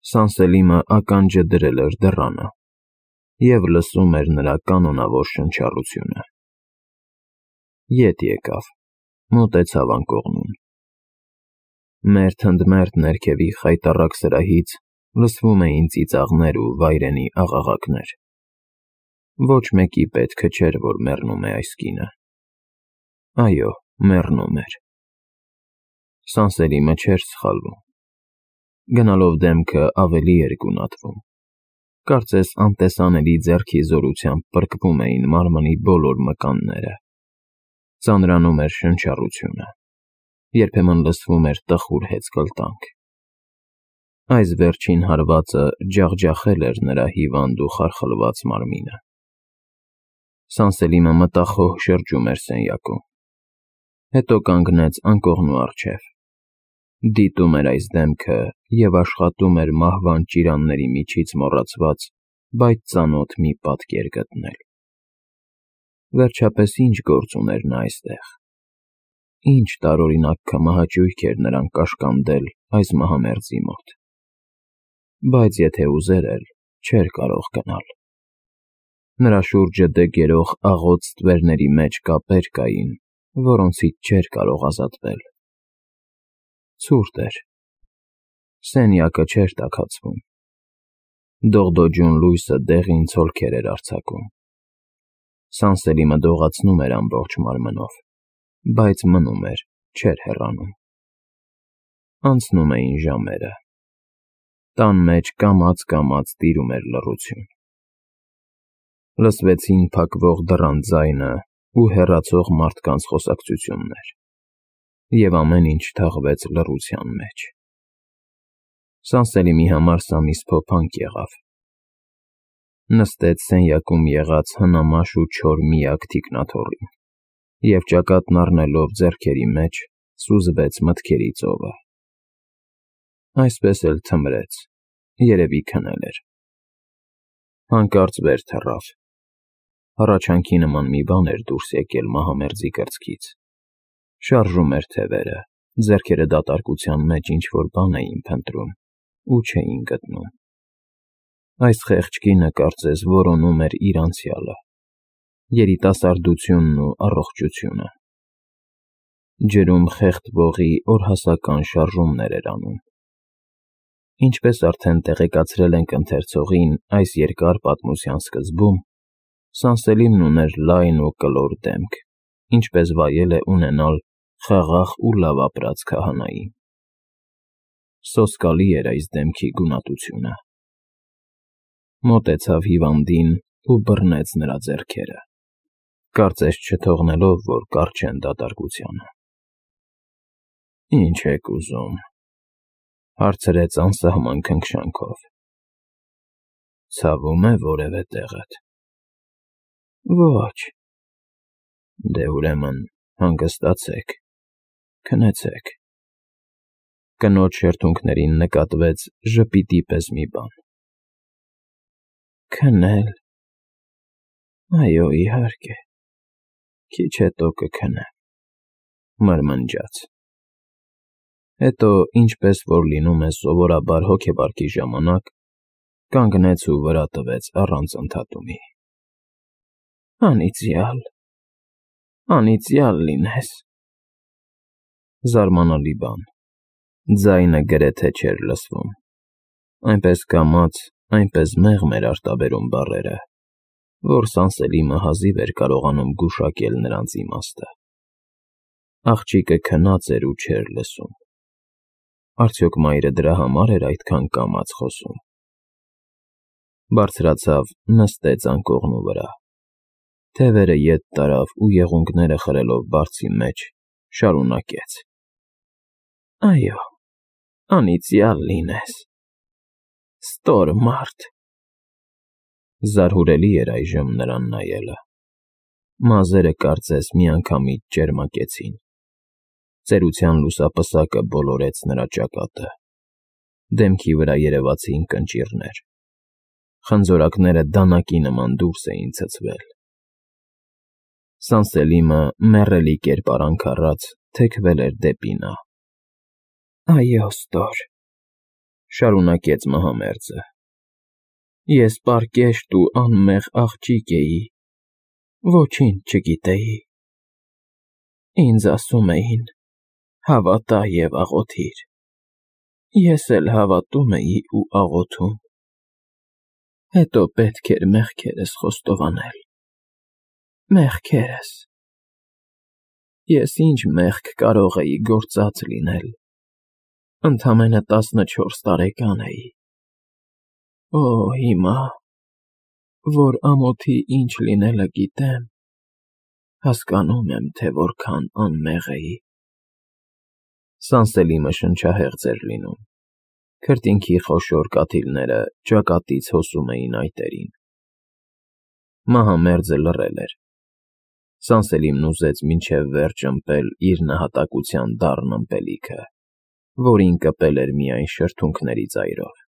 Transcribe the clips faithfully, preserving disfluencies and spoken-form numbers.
Սանսելիմը ականջը դրել էր դռանը և լսում էր նրա կանոնավոր շնչառությունը։ Ետ եկավ, մոտեցավ անկողնուն։ Մերթ ընդ մերթ ներքևի խայտառակ սրահից լսվում էին ծիծաղներ ու վայրենի աղաղակներ։ Ոչ մեկի պետքը չէր, որ մեռնում է այս կինը։ Այո, մեռնում էր։ Սանսելիմը չէր սխալվում։ Գնալով դեմքը ավելի էր գունատվում։ Կարծես անտեսանելի ձեռքի զորությամբ պրկվում էին մարմնի բոլոր մկանները։ Ծանրանում էր շնչառությունը։ Երբեմն լսվում էր տխուր հեծկլտանք։ Այս վերջին հարվածը ջախջախել էր նրա հիվանդ ու խարխլված մարմինը։ Սանսելիմը մտախոհ շրջում էր սենյակում։ Հետո կանգնեց անկողնու առջև։ Դիտում էր այս դեմքը և աշխատում էր մահվան ճիրանների միջից մոռացված, բայց ծանոթ մի պատկեր գտնել։ Վերջապես ի՞նչ գործ ուներ նա այստեղ։ Ի՞նչ տարօրինակ քմահաճույք էր նրան կաշկանդել այս մահամերձի մոտ։ Բայց եթե ուզեր էլ, չէր կարող գնալ։ Նրա շուրջը դեգերող աղոտ ստվերների մեջ կապեր կային, որոնցից չէր կարող ազատվել։ Ցուրտ էր։ Սենյակը չէր տաքացվում։ Դողդոջուն լույսը դեղին ցոլքեր էր արձակում։ Սանսելիմը դողացնում էր ամբողջ մարմնով, բայց մնում էր, չէր հեռանում։ Անցնում էին ժամերը։ Տան մեջ կամաց֊կամաց տիրում էր լռություն։ Լսվեցին փակվող դռան ձայնը ու հեռացող մարդկանց խոսակցություններ, և ամեն ինչ թաղվեց լռության մեջ։ Սանսելիմի համար սա մի սփոփանք եղավ։ Նստեց սենյակում եղած հնամաշ ու չոր միակ թիկնաթոռին և ճակատն առնելով ձեռքերի մեջ սուզվեց մտքերի ծովը։ Այսպես էլ թմրեց, երևի քնել էր։ Հանկարծ վեր թռավ։ Հառաչանքի նման մի բան էր դուրս եկել մահամերձի կրծքից։ Շարժում էր թևերը, ձեռքերը դատարկության մեջ ինչ-որ բան էին փնտրում ու չէին գտնում։ Այս խեղճ կինը կարծես որոնում էր իր անցյալը, երիտասարդությունն ու առողջությունը։ Ջրում խեղդվողի օրհասական շարժումներ էր անում։ Ինչպես արդեն տեղեկացրել ենք ընթերցողին այս երկար պատմության սկզբում, Սանսելիմն ուներ լայն ու կլոր դեմք, ինչպես վայել է ունենալ խաղաղ ու լավ ապրած քահանային։ Սոսկալի էր այս դեմքի գունատությունը։ Մոտեցավ հիվանդին ու բռնեց նրա ձեռքերը, կարծես չթողնելով, որ կառչեն դատարկությանը։ «Ի՞նչ եք ուզում,֊ հարցրեց անսահման քնքշանքով։ Ցավում է որևէ տեղդ։ Ոչ։ Դե ուրեմն հանգստացեք, քնեցեք։ Կնոջ շրթունքներին նկատվեց ժպիտի պես մի բան։ Քնել… Այո, իհարկե, քիչ հետո կքնեմ,֊ մրմնջաց։ Հետո, ինչպես որ լինում է սովորաբար հոգեպարկի ժամանակ, կանգնեց ու վրա տվեց առանց ընդհատումի։ Անիծյալ… անիծյալ լինես… Զարմանալի բան, ձայնը գրեթե չէր լսվում։ Այնպես կամաց, այնպես մեղմ էր արտաբերում բառերը, որ Սանսելիմը հազիվ էր կարողանում գուշակել նրանց իմաստը։ Աղջիկը քնած էր ու չէր լսում։ Արդյոք մայրը դրա համար էր այդքան կամաց խոսում։ Բարձրացավ, նստեց անկողնու վրա։ Թևերը ետ տարավ ու եղունգները խրելով բարձի մեջ, շարունակեց. Այո, անիծյալ լինես… Ստոր մարդ… Զարհուրելի էր այժմ նրան նայելը։ Մազերը կարծես միանգամից ճերմակեցին։ Ծերության լուսապսակը բոլորեց նրա ճակատը։ Դեմքի վրա երևացին կնճիռներ։ Խնձորակները դանակի նման դուրս էին ցցվել։ Սանսելիմը մեռելի կերպարանք առած թեքվել էր դեպի նա։ Այո, ստոր… Շարունակեց մահամերձը։ Ես պարկեշտ ու անմեղ աղջիկ էի, ոչինչ չգիտեի։ Ինձ ասում էին. հավատա և աղոթիր։ Ես էլ հավատում էի ու աղոթում։ Հետո պետք էր մեղքերս խոստովանել։ Մեղքերս։ Ես ինչ մեղք կարող էի գործած լինել։ Ընդամենը տասնչորս տարեկան էի։ Օ, հիմա, որ ամոթի ինչ լինելը գիտեմ, հասկանում եմ, թե որքան անմեղ էի։ Սանսելիմը շնչահեղձ էր լինում։ Քրտինքի խոշոր կաթիլները ճակատից հոսում էին այտերին։ Մահամերձը լռել էր։ Սանսելիմն ուզեց մինչև վերջ ըմպել իր նահատակության դառն ըմպելիքը, որին կպել էր միայն շրթունքների ծայրով։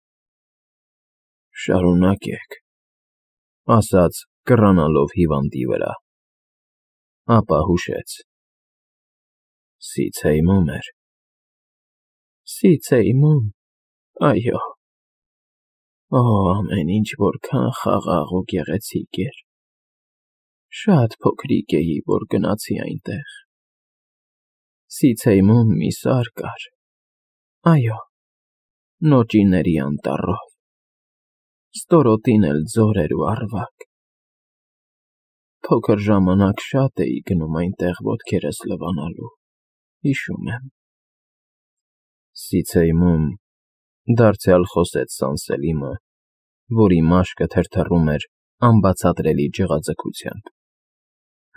Շարունակեք, ասաց, կռանալով հիվանդի վրա։ Ապա հուշեց. Սիցեյմում էր։ Սիցեյմում, այո։ Օ, ամեն ինչ որքան խաղաղ ու գեղեցիկ էր։ Շատ փոքրիկ էի, որ գնացի այնտեղ։ Սիցեյմում մի սար կար։ Այո, նոճիների անտառով։ Ստորոտին էլ ձոր էր ու առվակ։ Փոքր ժամանակ շատ էի գնում այնտեղ ոտքերս լվանալու, հիշում եմ։ Սիցեյմում, դարձյալ խոսեց Սանսելիմը, որի մաշկը թրթռում էր անբացատրելի ջղաձգությամբ։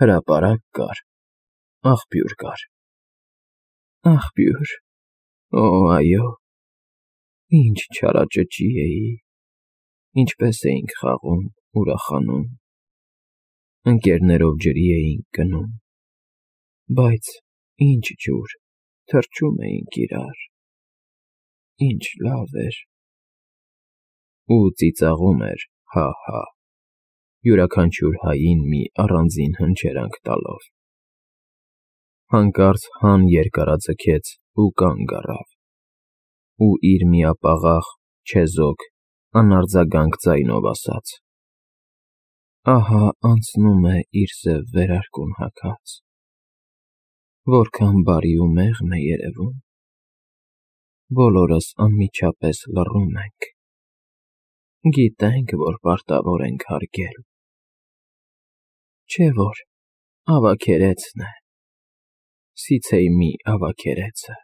Հրապարակ կար, աղբյուր կար։ Աղբյուր, օ, այո, ինչ չարաճճի էի, ինչպես էինք խաղում, ուրախանում, ընկերներով ջրի էինք գնում, բայց ինչ ջուր, թռչում էինք իրար, ինչ լավ էր։ Ու ծիծաղում էր, հա՛֊հա՛, յուրաքանչյուր հային մի առանձին հնչերանգ տալով։ Հանկարծ Han երկարաձգեց ու կանգ առավ, ու իր միապաղաղ, չեզոք, անարձագանք ձայնով ասաց. Ահա անցնում է իր սև վերարկուն հագած։ Որքան բարի ու մեղմ է երևում։ Բոլորս անմիջապես լռում ենք։ Գիտենք, որ պարտավոր ենք հարգել։ Չէ՞ որ ավագերեցն է, Սիցեյմի ավագերեցը։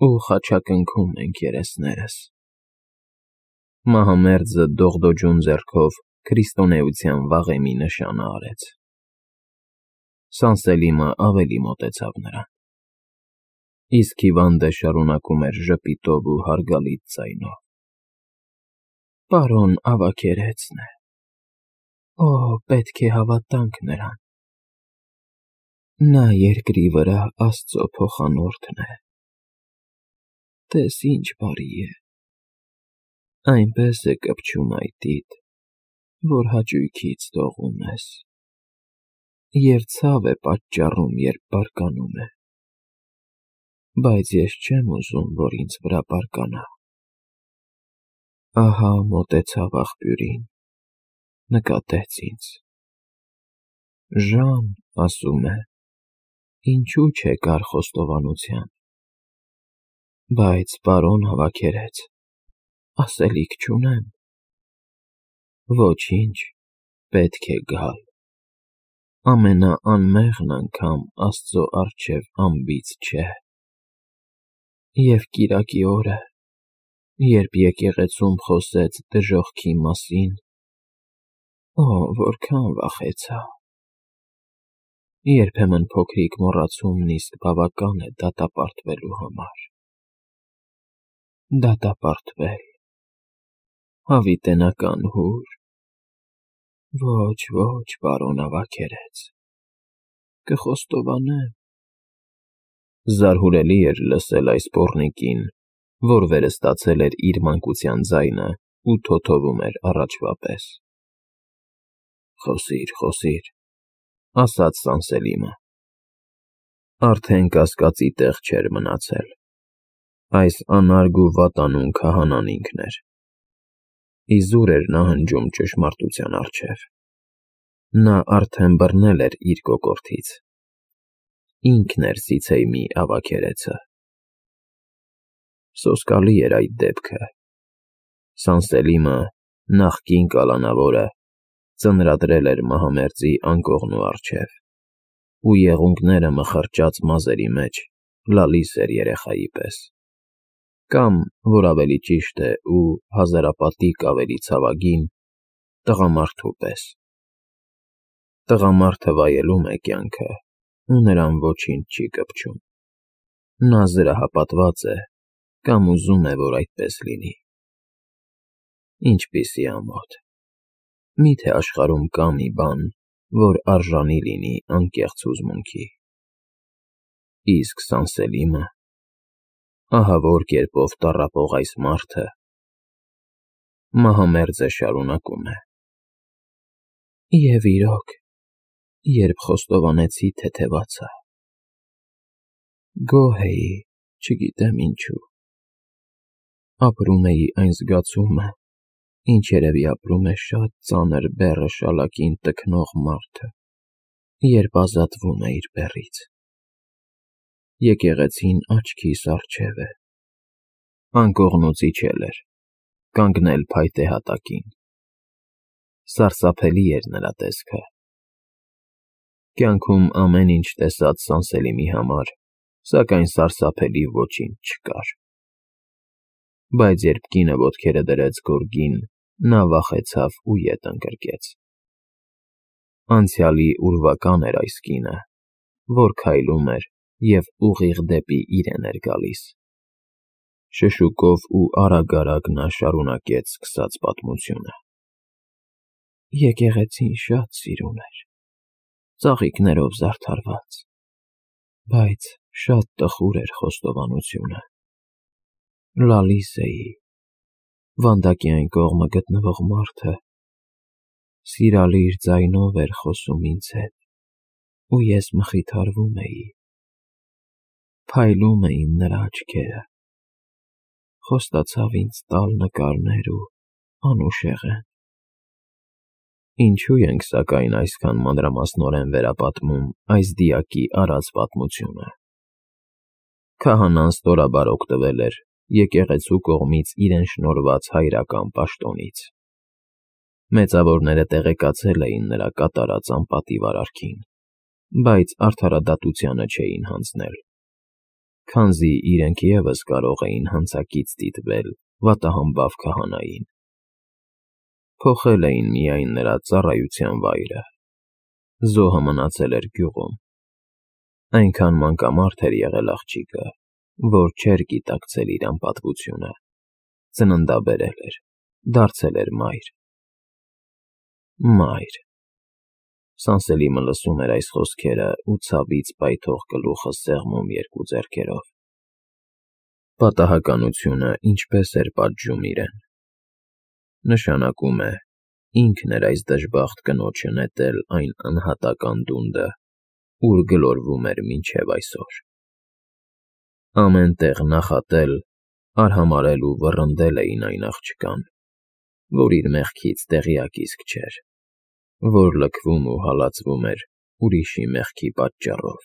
Ու խաչակնքում ենք երեսներս։ Մահամերձը դողդոջուն ձեռքով քրիստոնեության վաղեմի նշանը արեց։ Սանսելիմը ավելի մոտեցավ նրան։ Իսկ հիվանդը շարունակում էր ժպիտով ու հարգալից ձայնով. Պարոն ավագերեցն է։ Օ, պետք է հավատանք նրան։ Նա երկրի վրա Աստծո փոխանորդն է։ Տես ինչ բարի է։ Այնպես է կպչում այտիդ, որ հաճույքից դողում ես, և ցավ է պատճառում, երբ բարկանում է։ Բայց ես չեմ ուզում, որ ինձ վրա բարկանա։ Ահա մոտեցավ աղբյուրին, նկատեց ինձ։ Ժան, ասում է, ինչու չեկար խոստովանության։ Բայց, պարոն հավաքերեց, ասելիք չունեմ։ Ոչինչ, պետք է գալ։ Ամենաանմեղն անգամ Աստծո առջև անբիծ չէ։ Եվ կիրակի օրը, երբ եկեղեցում խոսեց դժոխքի մասին, օ, որքան վախեցա։ Երբեմն փոքրիկ մոռացումն իսկ բավական է դատապարտվելու համար։ Դատապարտվել, հավիտենական հուր։ Ոչ, ոչ, պարոն ավագերեց, կխոստովանեմ։ Զարհուրելի էր լսել այս պոռնիկին, որ վերստացել էր իր մանկության ձայնը ու թոթովում էր առաջվա պես։ Խոսիր, խոսիր, ասաց Սանսելիմը։ Արդեն կասկածի տեղ չէր մնացել։ Այս անարգ ու վատանուն քահանան ինքն էր։ Իզուր էր նա հնջում ճշմարտության առջև։ Նա արդեն բռնել էր իր կոկորդից։ Ինքն էր Սիցեյմի ավագերեցը։ Սոսկալի էր այդ դեպքը։ Սանսելիմը, նախկին կալանավորը, ծնրադրել էր մահամերձի անկողնու առջև, ու եղունգները մխրճած մազերի մեջ լալիս էր երեխայի պես, կամ, որ ավելի ճիշտ է ու հազարապատիկ ավելի ցավագին, տղամարդու պես։ Տղամարդը վայելում է կյանքը, ու նրան ոչինչ չի կպչում։ Նա զրահապատված է, կամ ուզում է, որ այդպես լինի։ Ինչպիսի ամոթ։ Մի՞թե աշխարհում կա մի բան, որ արժանի լինի անկեղծ հուզմունքի։ Իսկ Սանսելիմը… ահա որ կերպով տառապող այս մարդը… Մահամերձը շարունակում է. Եվ իրոք, երբ խոստովանեցի թեթևացա, գոհ էի, չգիտեմ ինչու… Ապրում էի այն զգացումը, ինչ երևի ապրում է շատ ծանր բեռը շալակին տքնող մարդը, երբ ազատվում է իր բեռից… Եկեղեցին աչքիս առջև է… Անկողնուց իջել էր, կանգնել փայտե հատակին… Սարսափելի էր նրա տեսքը… Կյանքում ամեն ինչ տեսած Սանսելիմի համար, սակայն սարսափելի ոչինչ չկար… Բայց երբ կինը ոտքերը դրեց գորգին, նա վախեցավ ու ետ ընկրկեց… Անցյալի ուրվական էր այս կինը, որ քայլում էր և ուղիղ դեպի իրեն էր գալիս… Շշուկով ու արագ֊արագ նա շարունակեց սկսած պատմությունը. Եկեղեցին շատ սիրուն էր, ծաղիկներով զարդարված, բայց շատ տխուր էր խոստովանությունը… Լալիս էի, վանդակի այն կողմը գտնվող մարդը սիրալիր ձայնով էր խոսում ինձ հետ, ու ես մխիթարվում էի… Փայլում էին նրա աչքերը… Խոստացավ ինձ տալ նկարներ ու անուշեղեն… Ինչո՞ւ ենք, սակայն, այսքան մանրամասնորեն վերապատմում այս դիակի արած պատմությունը… Քահանան ստորաբար օգտվել էր եկեղեցու կողմից իրեն շնորհված հայրական պաշտոնից… Մեծավորները տեղեկացել էին նրա կատարած անպատիվ արարքին, բայց արդարադատությանը չէին հանձնել, քանզի իրենք ևս կարող էին հանցակից դիտվել վատահամբավ քահանային… Փոխել էին միայն նրա ծառայության վայրը… Զոհը մնացել էր գյուղում… Այնքան մանկամարդ էր եղել աղջիկը, որ չէր գիտակցել իր անպատվությունը, ծննդաբերել էր, դարձել էր մայր… Մայր… Սանսելիմը լսում էր այս խոսքերը ու ցավից պայթող գլուխը սեղմում երկու ձեռքերով… Պատահականությունը ինչպես էր պատժում իրեն… Նշանակում է, ինքն էր այս դժբախտ կնոջը նետել այն անհատական դունդը, ուր գլորվում էր մինչև այսօր… Ամեն տեղ նախատել, արհամարհել ու վռնդել էին այն աղջկան, որ իր մեղքից տեղյակ իսկ չէր, որ լքվում ու հալածվում էր ուրիշի մեղքի պատճառով…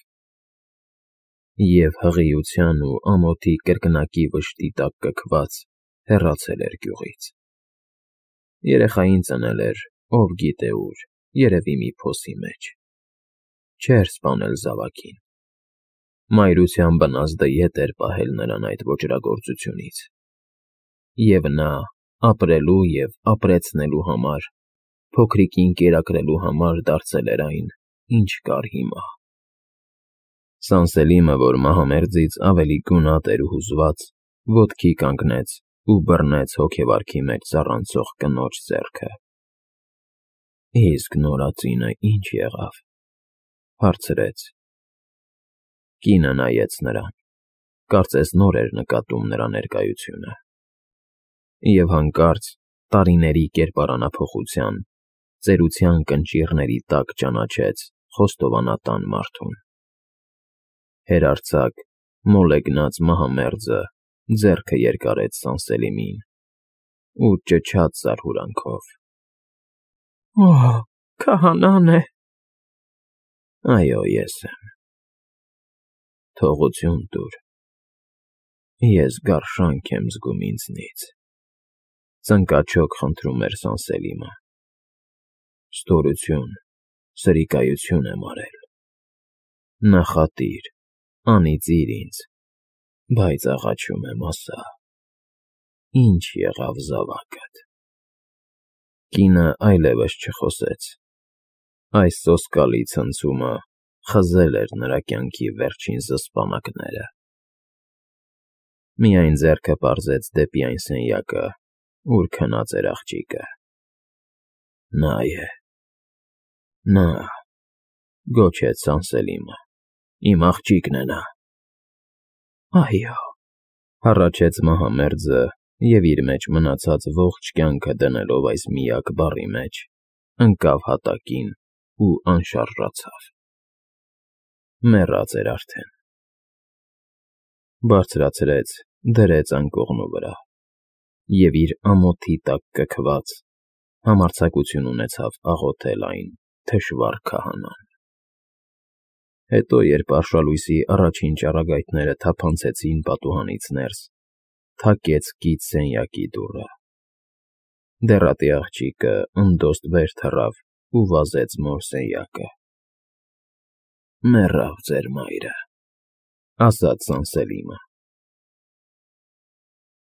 Եվ հղիության ու ամոթի կրկնակի վշտի տակ կքված հեռացել էր գյուղից… Երեխային ծնել էր, ով գիտե ուր, երևի մի փոսի մեջ… Չէր սպանել զավակին… Մայրության բնազդը ետ էր պահել նրան այդ ոճրագործությունից… Եվ նա, ապրելու և ապրեցնելու համար, փոքրիկին կերակրելու համար դարձել էր այն, ինչ կար հիմա… Սանսելիմը, որ մահամերձից ավելի գունատ էր ու հուզված, ոտքի կանգնեց ու բռնեց հոգեվարքի մեջ ծառանցող կնոջ ձեռքը… Իսկ նորածինը ի՞նչ եղավ,֊ հարցրեց… Կինը նայեց նրան, կարծես նոր էր նկատում նրա ներկայությունը… Եվ հանկարծ տարիների կերպարանափոխության, ծերության կնճիռների տակ ճանաչեց խոստովանատան մարդուն… Հերարձակ, մոլեգնած մահամերձը ձեռքը երկարեց Սանսելիմին ու ճչաց զարհուրանքով. Օ՜, քահանան է… Այո, ես եմ… Թողություն տուր… Ես գարշանք եմ զգում ինձնից, ծնկաչոք խնդրում էր Սանսելիմը… Ստորություն, սրիկայություն եմ արել… Նախատիր, անիծիր ինձ, բայց աղաչում եմ, ասա, ի՞նչ եղավ զավակդ… Կինը այլևս չխոսեց… Այս սոսկալի ցնցումը խզել էր նրա կյանքի վերջին զսպանակները… Միայն ձեռքը պարզեց դեպի այն սենյակը, ուր քնած էր աղջիկը… Նա է… Նա… Գոչեց Սանսելիմը… Իմ աղջիկն է նա… Այո… Հառաչեց մահամերձը և իր մեջ մնացած ողջ կյանքը դնելով այս միակ բառի մեջ, ընկավ հատակին ու անշարժացավ… Մեռած էր արդեն… Բարձրացրեց, դրեց անկողնու վրա և իր ամոթի տակ կքված, համարձակություն ունեցավ աղոթել այն թշվառ քահանան… Հետո, երբ արշալույսի առաջին ճառագայթները թափանցեցին պատուհանից ներս, թակեց կից սենյակի դուռը… Դեռատի աղջիկը ընդոստ վեր թռավ ու վազեց նոր սենյակը… Մեռավ ձեր մայրը… Ասաց Սանսելիմը…